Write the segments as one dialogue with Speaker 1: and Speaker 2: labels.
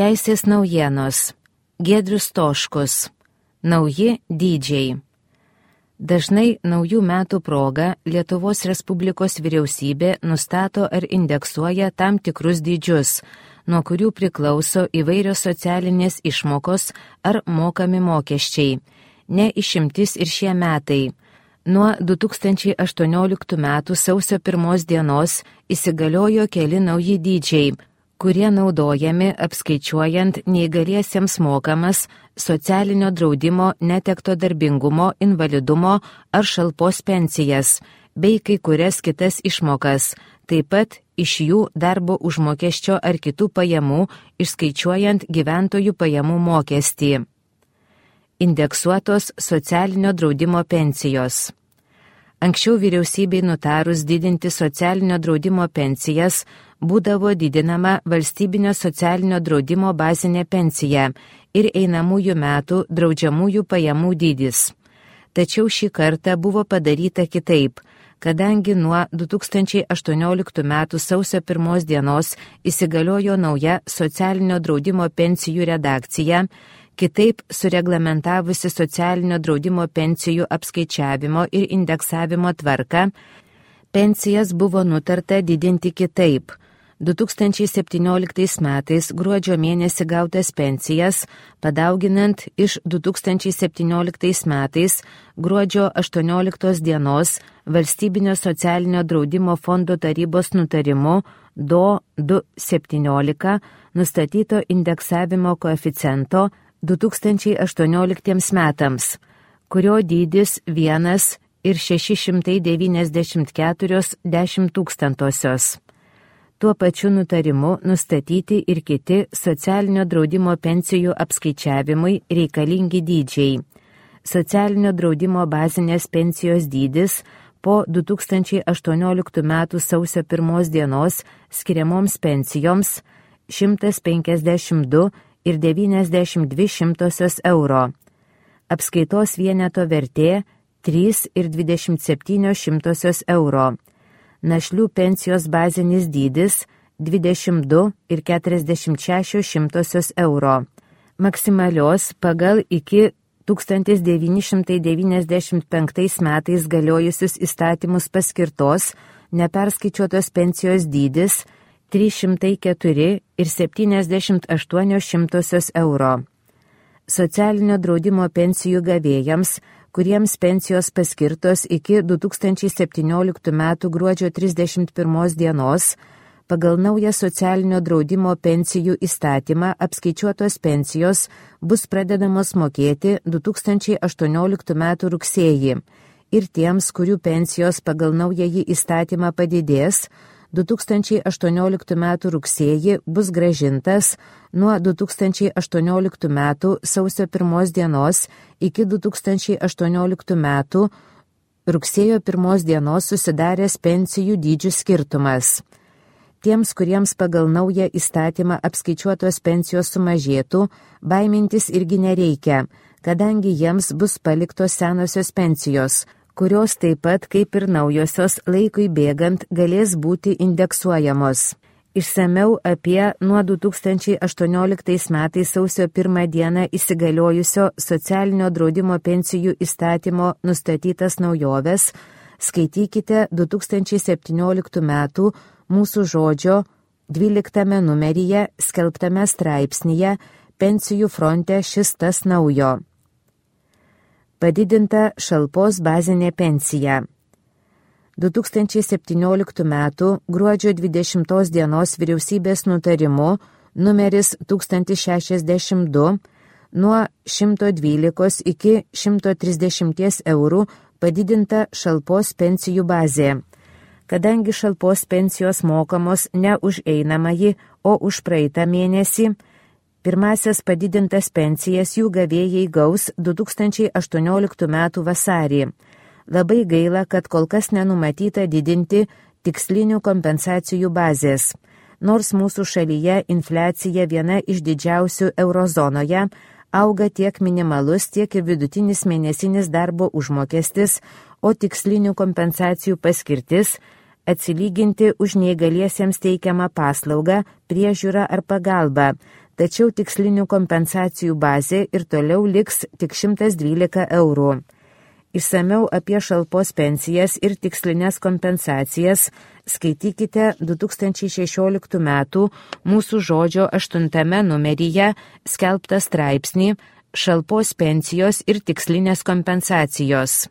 Speaker 1: Teisės naujienos. Giedrius Stoškus. Nauji dydžiai. Dažnai naujų metų proga Lietuvos Respublikos vyriausybė nustato ar indeksuoja tam tikrus dydžius, nuo kurių priklauso įvairios socialinės išmokos ar mokami mokesčiai. Ne išimtis ir šie metai. Nuo 2018 metų sausio 1 dienos įsigaliojo keli nauji dydžiai, kurie naudojami apskaičiuojant neįgaliesiems mokamas socialinio draudimo, netekto darbingumo, invalidumo ar šalpos pensijas, bei kai kurias kitas išmokas, taip pat iš jų darbo užmokesčio ar kitų pajamų, išskaičiuojant gyventojų pajamų mokestį. Indeksuotos socialinio draudimo pensijos. Anksčiau vyriausybei nutarus didinti socialinio draudimo pensijas, būdavo didinama valstybinio socialinio draudimo bazinė pensija ir einamųjų metų draudžiamųjų pajamų dydis. Tačiau šį kartą buvo padaryta kitaip, kadangi nuo 2018 metų sausio 1 dienos įsigaliojo nauja socialinio draudimo pensijų redakcija, kitaip sureglamentavusi socialinio draudimo pensijų apskaičiavimo ir indeksavimo tvarką, pensijas buvo nutarta didinti kitaip. 2017 metais gruodžio mėnesį gautas pensijas, padauginant iš 2017 metais gruodžio 18 dienos Valstybinio socialinio draudimo fondo tarybos nutarimu DO 217 nustatyto indeksavimo koeficiento 2018 metams, kurio dydis 1,694. Tuo pačiu nutarimu nustatyti ir kiti socialinio draudimo pensijų apskaičiavimui reikalingi dydžiai. Socialinio draudimo bazinės pensijos dydis po 2018 metų sausio 1 dienos skiriamoms pensijoms 152,92 euro. Apskaitos vieneto vertė 3,27 euro. Našlių pensijos bazinis dydis 22,46 euro. Maksimalios pagal iki 1995 metais galiojusius įstatymus paskirtos neperskaičiuotos pensijos dydis 304,78 euro. Socialinio draudimo pensijų gavėjams, kuriems pensijos paskirtos iki 2017 metų gruodžio 31 dienos, pagal naują socialinio draudimo pensijų įstatymą apskaičiuotos pensijos bus pradedamos mokėti 2018 metų rugsėjį ir tiems, kurių pensijos pagal naująjį įstatymą padidės, 2018 metų rugsėjį bus grąžintas nuo 2018 metų sausio 1 dienos iki 2018 metų rugsėjo 1 dienos susidaręs pensijų dydžių skirtumas. Tiems, kuriems pagal naują įstatymą apskaičiuotos pensijos sumažėtų, baimintis irgi nereikia, kadangi jiems bus paliktos senosios pensijos, kurios taip pat kaip ir naujosios laikui bėgant galės būti indeksuojamos. Išsamiau apie nuo 2018 metais sausio 1 dieną įsigaliojusio socialinio draudimo pensijų įstatymo nustatytas naujoves skaitykite 2017 metų Mūsų žodžio 12 numeryje skelbtame straipsnyje Pensijų fronte šis tas naujo. Padidinta šalpos bazinė pensija. 2017 metų gruodžio 20 dienos vyriausybės nutarimu numeris 1062 nuo 112 iki 130 eurų padidinta šalpos pensijų bazė. Kadangi šalpos pensijos mokamos ne už einamąjį, o už praeitą mėnesį, pirmasias padidintas pensijas jų gavėjai gaus 2018 metų vasarį. Labai gaila, kad kol kas nenumatyta didinti tikslinių kompensacijų bazės. Nors mūsų šalyje infliacija viena iš didžiausių eurozonoje, auga tiek minimalus, tiek ir vidutinis mėnesinis darbo užmokestis, o tikslinių kompensacijų paskirtis atsilyginti už neįgaliesiems teikiamą paslaugą, priežiūrą ar pagalbą, tačiau tikslinių kompensacijų bazė ir toliau liks tik 112 eurų. Išsamiau apie šalpos pensijas ir tikslinės kompensacijas skaitykite 2016 metų Mūsų žodžio 8 numeryje skelbtą straipsnį Šalpos pensijos ir tikslinės kompensacijos.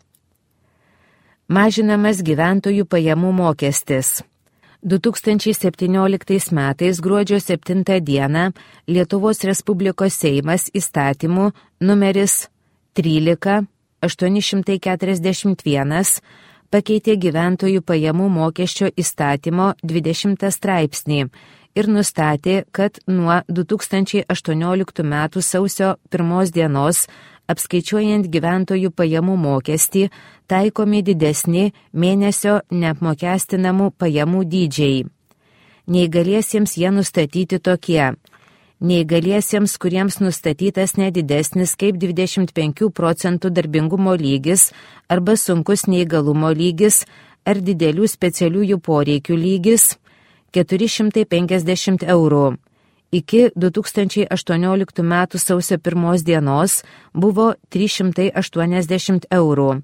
Speaker 1: Mažinamas gyventojų pajamų mokestis. 2017 metais gruodžio 7 dieną Lietuvos Respublikos Seimas įstatymu numeris 13-841 pakeitė gyventojų pajamų mokesčio įstatymo 20 straipsnį ir nustatė, kad nuo 2018 metų sausio 1 dienos apskaičiuojant gyventojų pajamų mokestį taikomi didesni mėnesio neapmokestinamų pajamų dydžiai. Neįgaliesiems jie nustatyti tokie. Neįgaliesiems, kuriems nustatytas nedidesnis kaip 25 procentų darbingumo lygis arba sunkus neįgalumo lygis ar didelių specialiųjų poreikių lygis 450 eurų. Iki 2018 metų sausio 1 dienos buvo 380 eurų.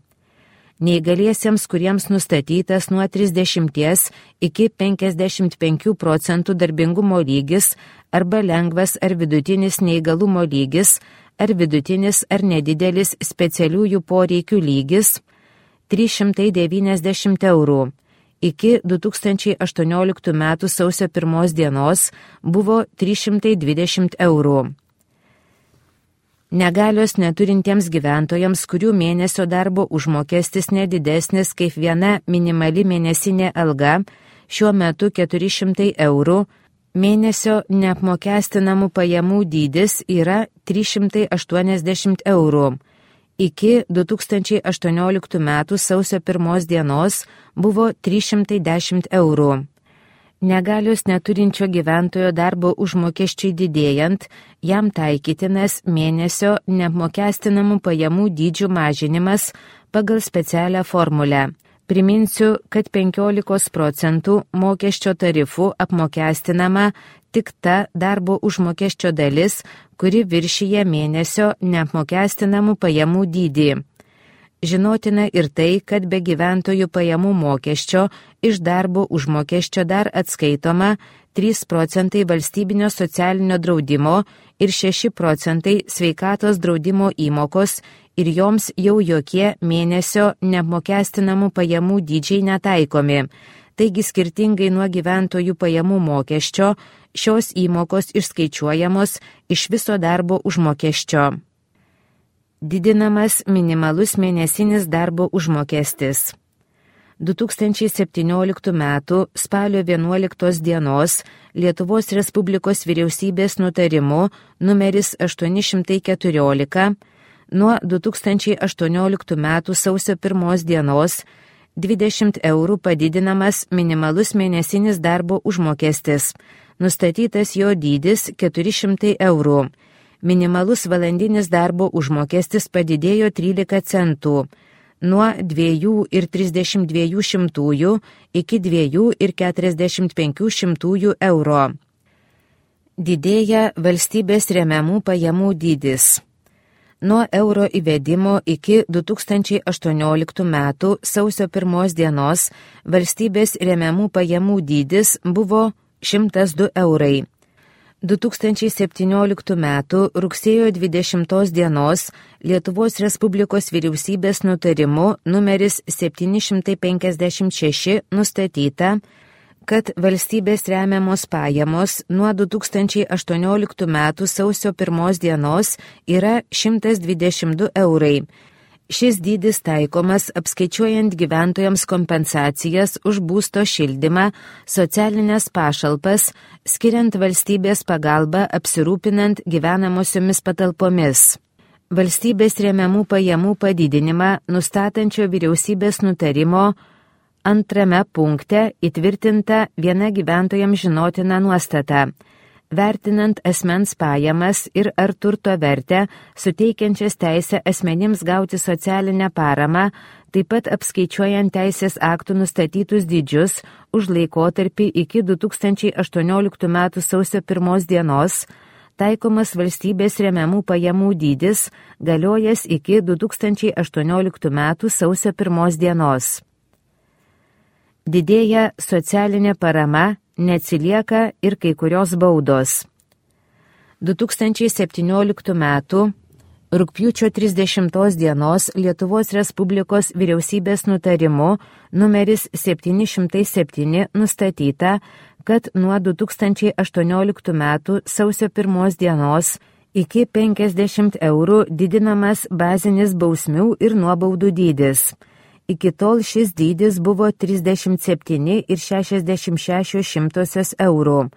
Speaker 1: Neįgaliesiems, kuriems nustatytas nuo 30 iki 55 procentų darbingumo lygis arba lengvas ar vidutinis neįgalumo lygis ar vidutinis ar nedidelis specialiųjų poreikių lygis 390 eurų. Iki 2018 metų sausio 1 dienos buvo 320 eurų. Negalios neturintiems gyventojams, kurių mėnesio darbo užmokestis nedidesnis kaip viena minimali mėnesinė alga, šiuo metu 400 eurų, mėnesio neapmokestinamų pajamų dydis yra 380 eurų. Iki 2018 metų sausio 1 dienos buvo 310 eurų. Negalios neturinčio gyventojo darbo užmokesčiui didėjant, jam taikytinas mėnesio neapmokestinamų pajamų dydžių mažinimas pagal specialią formulę. Priminsiu, kad 15 procentų mokesčio tarifų apmokestinama tik ta darbo užmokesčio dalis, kuri viršyje mėnesio neapmokestinamų pajamų dydį. Žinotina ir tai, kad be gyventojų pajamų mokesčio iš darbo užmokesčio dar atskaitoma 3 procentai valstybinio socialinio draudimo ir 6 procentai sveikatos draudimo įmokos ir joms jau jokie mėnesio neapmokestinamų pajamų dydžiai netaikomi. Taigi skirtingai nuo gyventojų pajamų mokesčio, šios įmokos išskaičiuojamos iš viso darbo užmokesčio. Didinamas minimalus mėnesinis darbo užmokestis. 2017 m. spalio 11 dienos Lietuvos Respublikos vyriausybės nutarimu numeris 814 nuo 2018 m. sausio 1 dienos 20 eurų padidinamas minimalus mėnesinis darbo užmokestis. Nustatytas jo dydis 400 eurų. Minimalus valandinis darbo užmokestis padidėjo 13 centų, nuo 2,32 iki 2,45 euro. Didėja valstybės remiamų pajamų dydis. Nuo euro įvedimo iki 2018 metų sausio 1 dienos valstybės remiamų pajamų dydis buvo 102 eurai. 2017 m. rugsėjo 20 dienos Lietuvos Respublikos vyriausybės nutarimu numeris 756 nustatyta, kad valstybės remiamos pajamos nuo 2018 m. sausio 1 dienos yra 122 eurai. Šis dydis taikomas apskaičiuojant gyventojams kompensacijas už būsto šildymą, socialinės pašalpas, skiriant valstybės pagalbą apsirūpinant gyvenamosiomis patalpomis. Valstybės remiamų pajamų padidinimą nustatančio vyriausybės nutarimo 2 punkte įtvirtinta viena gyventojams žinotina nuostata. Vertinant asmens pajamas ir ar turto vertę, suteikiančias teisę asmenims gauti socialinę paramą, taip pat apskaičiuojant teisės aktų nustatytus dydžius už laikotarpį iki 2018 m. sausio 1 dienos, taikomas valstybės remiamų pajamų dydis, galiojas iki 2018 m. sausio 1 dienos. Didėja socialinė parama, neatsilieka ir kai kurios baudos. 2017 m. Rugpjūčio 30 dienos Lietuvos Respublikos vyriausybės nutarimu numeris 707 nustatyta, kad nuo 2018 m. sausio 1 dienos iki 50 eurų didinamas bazinis bausmių ir nuobaudų dydis. Iki tol šis dydis buvo 37,66 eurų.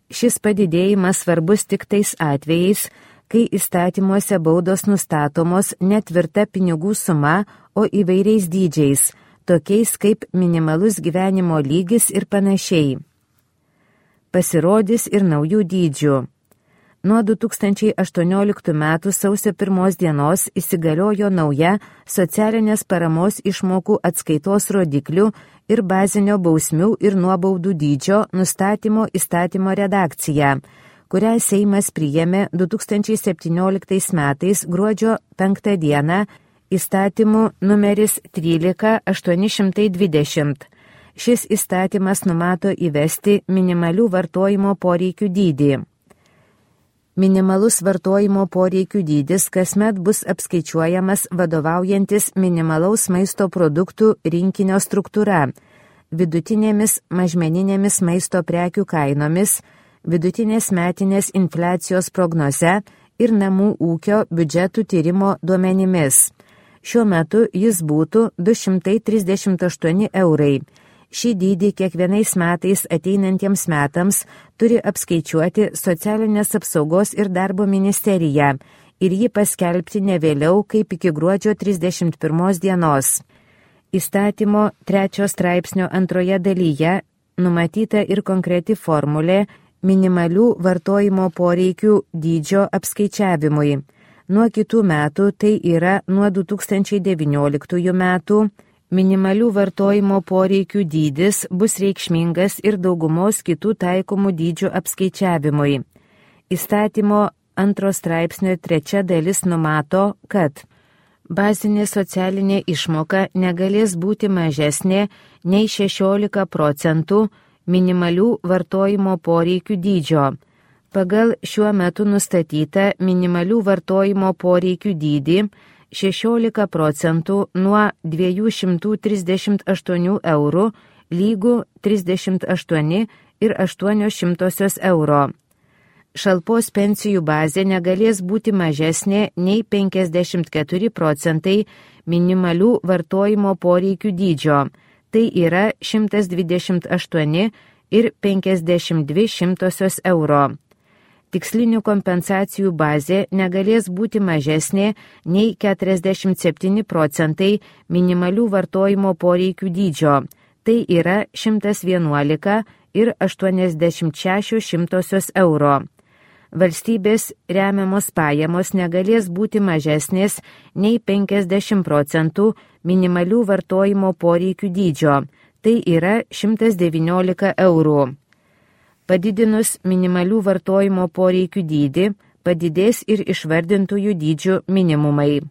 Speaker 1: Šis padidėjimas svarbus tik tais atvejais, kai įstatymuose baudos nustatomos ne tvirta pinigų suma, o įvairiais dydžiais, tokiais kaip minimalus gyvenimo lygis ir panašiai. Pasirodys ir naujų dydžių. Nuo 2018 m. sausio 1 dienos įsigaliojo nauja socialinės paramos išmokų atskaitos rodiklių ir bazinio bausmių ir nuobaudų dydžio nustatymo įstatymo redakcija, kurią Seimas priėmė 2017 metais gruodžio 5 dieną įstatymu numeris 13820. Šis įstatymas numato įvesti minimalių vartojimo poreikių dydį. Minimalus vartojimo poreikių dydis kasmet bus apskaičiuojamas vadovaujantis minimalaus maisto produktų rinkinio struktūra, vidutinėmis mažmeninėmis maisto prekių kainomis, vidutinės metinės infliacijos prognoze ir namų ūkio biudžetų tyrimo duomenimis. Šiuo metu jis būtų 238 eurai. Šį dydį kiekvienais metais ateinantiems metams turi apskaičiuoti Socialinės apsaugos ir darbo ministerija ir jį paskelbti ne vėliau kaip iki gruodžio 31 dienos. Įstatymo 3 straipsnio 2 dalyje numatyta ir konkreti formulė minimalių vartojimo poreikių dydžio apskaičiavimui. Nuo kitų metų, tai yra nuo 2019 metų, minimalių vartojimo poreikių dydis bus reikšmingas ir daugumos kitų taikomų dydžių apskaičiavimui. Įstatymo 2 straipsnio 3 dalis numato, kad bazinė socialinė išmoka negalės būti mažesnė nei 16% minimalių vartojimo poreikių dydžio. Pagal šiuo metu nustatytą minimalių vartojimo poreikių dydį 16% nuo 238 eurų lygų 38,08 euro. Šalpos pensijų bazė negalės būti mažesnė nei 54% minimalių vartojimo poreikių dydžio. Tai yra 128,52 euro. Tikslinių kompensacijų bazė negalės būti mažesnė nei 47% minimalių vartojimo poreikių dydžio. Tai yra 111,86 euro. Valstybės remiamos pajamos negalės būti mažesnės nei 50% minimalių vartojimo poreikių dydžio. Tai yra 119 eurų. Padidinus minimalių vartojimo poreikių dydį, padidės ir išvardintųjų dydžių minimumai.